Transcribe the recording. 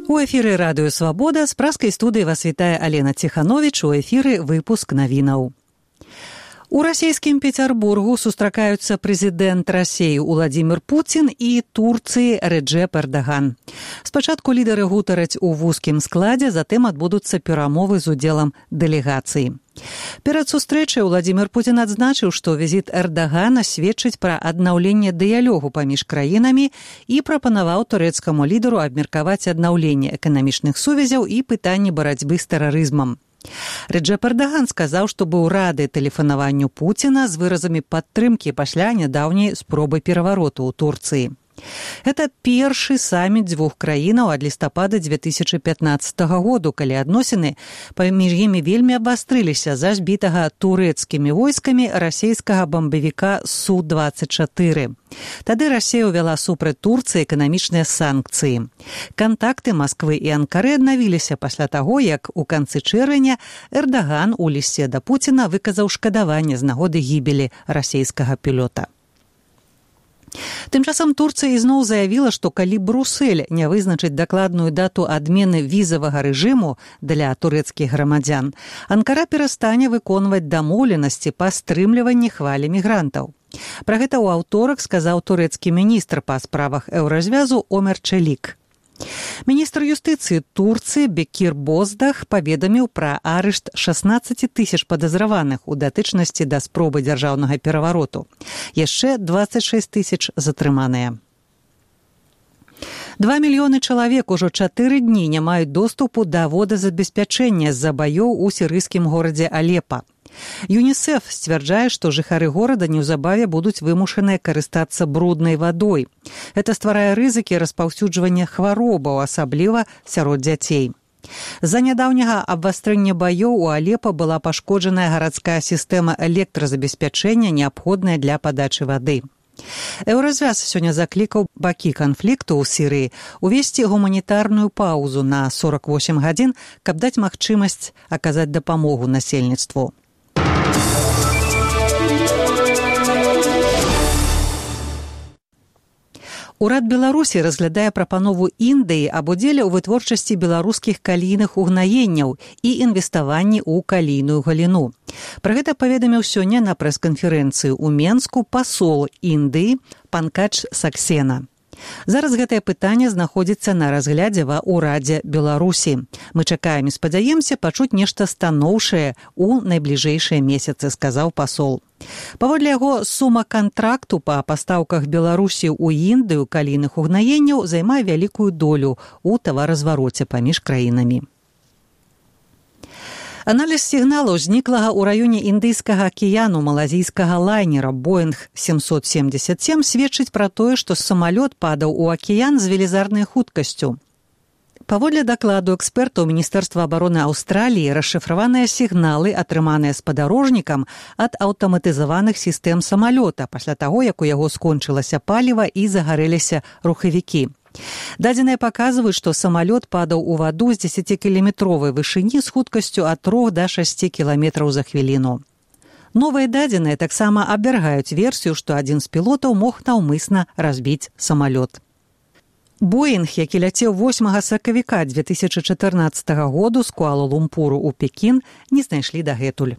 У эфіры радыё «Свабода» з праскай студыі вас вітае Алена Ціхановіч, у эфіры выпуск навінаў. У расійскім Петербургу сустракаюцца прэзідэнт Расіі Уладзімір Пуцін і Турцыі Реджеп Эрдаган. Спачатку лідары гутараць у вузкім складзе, затым адбудуцца перамовы з удзелам дэлегацыі. Перад сустрэчай Уладзімір Пуцін адзначыў, што візіт Эрдагана сведчыць пра аднаўленне дыялогу паміж краінамі і прапанаваў турэцкаму лідару абмеркаваць аднаўленне эканамічных сувязяў і пытанні барацьбы з тэрарызмам. Реджеп Эрдаган сказаў, што быў рады тэлефанаванню Пуціна з выразамі падтрымкі пасля нядаўняй спробы перавароту ў Турцыі. Гэта першы саміт дзвюх краінаў ад лістапада 2015 году, калі адносіны паміж імі вельмі абвастрыліся за збітага турэцкімі войскамі расійскага бамбавіка Су-24. Тады Расія ўвяла супраць Турцыі эканамічныя санкцыі. Кантакты Масквы і Анкары аднавіліся пасля таго, як у канцы чэрвеня Эрдаган у лісце да Пуціна выказаў шкадаванне з нагоды гібелі расійскага пілота. Тым часам Турцыя ізноў заявіла, што калі Брусэль не вызначыць дакладную дату адмены візавага рэжыму для турэцкіх грамадзян, Анкара перастане выконваць дамоўленасці па стрымліванні хвалі мігрантаў. Пра гэта ў аўторак сказаў турэцкі міністр па справах еўразвязу Омер Челік. Міністр юстыцыі Турцыі Бекир Боздах паведаміў пра арышт 16 тысяч падазраваных у датычнасці да спробы дзяржаўнага перавароту. Яшчэ 26 тысяч затрыманыя. 2 мільёны чалавек ужо 4 дні не маюць доступу да водазабеспячэння з-за баёў у сірыйскім горадзе Алепа. ЮНІСЕФ сцвярджае, што жыхары горада неўзабаве будуць вымушаныя карыстацца бруднай вадой. Гэта стварае рызыкі распаўсюджвання хваробаў, асабліва сярод дзяцей. З-за нядаўняга абвастрэння баёў у Алепа была пашкоджаная гарадская сістэма электразабеспячэння, неабходная для падачы вады. Еўразвяз сёння заклікаў бакі канфлікту ў Сірыі увесці гуманітарную паўзу на 48 гадзін, каб даць магчымасць аказаць дапамогу насельніцтву. Урад Беларусі разглядае прапанову Індыі аб удзеле ў вытворчасці беларускіх калійных угнаенняў і інвеставанні ў калійную галіну. Пра гэта паведаміў сёння на прэс-канферэнцыі ў Менску пасол Індыі Панкадж Саксена. Зараз гэтае пытанне знаходзіцца на разглядзе ва ўрадзе Беларусі. Мы чакаем і спадзяемся пачуць нешта станоўшае ў найбліжэйшыя месяцы, сказаў пасол. Паводле яго, сума кантракту па пастаўках Беларусі ў Індыю калійных угнаенняў займае вялікую долю ў таваразвароце паміж краінамі. Аналіз сігналу зніклага ў раёне Індыйскага акіяну малазійскага лайнера Боинг 777 сведчыць пра тое, што самалёт падаў у акіян з велізарнай хуткасцю. Паводле дакладу экспертаў Міністэрства абароны Аўстраліі, расшыфраваныя сігналы, атрыманыя спадарожнікам ад аўтаматызаваных сістэм самалёта пасля таго, як у яго скончылася паліва і загарэліся рухавікі. Дадзеныя паказваюць, што самалёт падаў у ваду з 10-кіламетровай вышыні з хуткасцю ад 3 да 6 кіламетраў за хвіліну. Новыя дадзеныя таксама абвяргаюць версію, што адзін з пілотаў мог наўмысна разбіць самалёт. Боинг, які ляцеў 8 сакавіка 2014 году з Куала-Лумпуру ў Пекін, не знайшлі дагэтуль.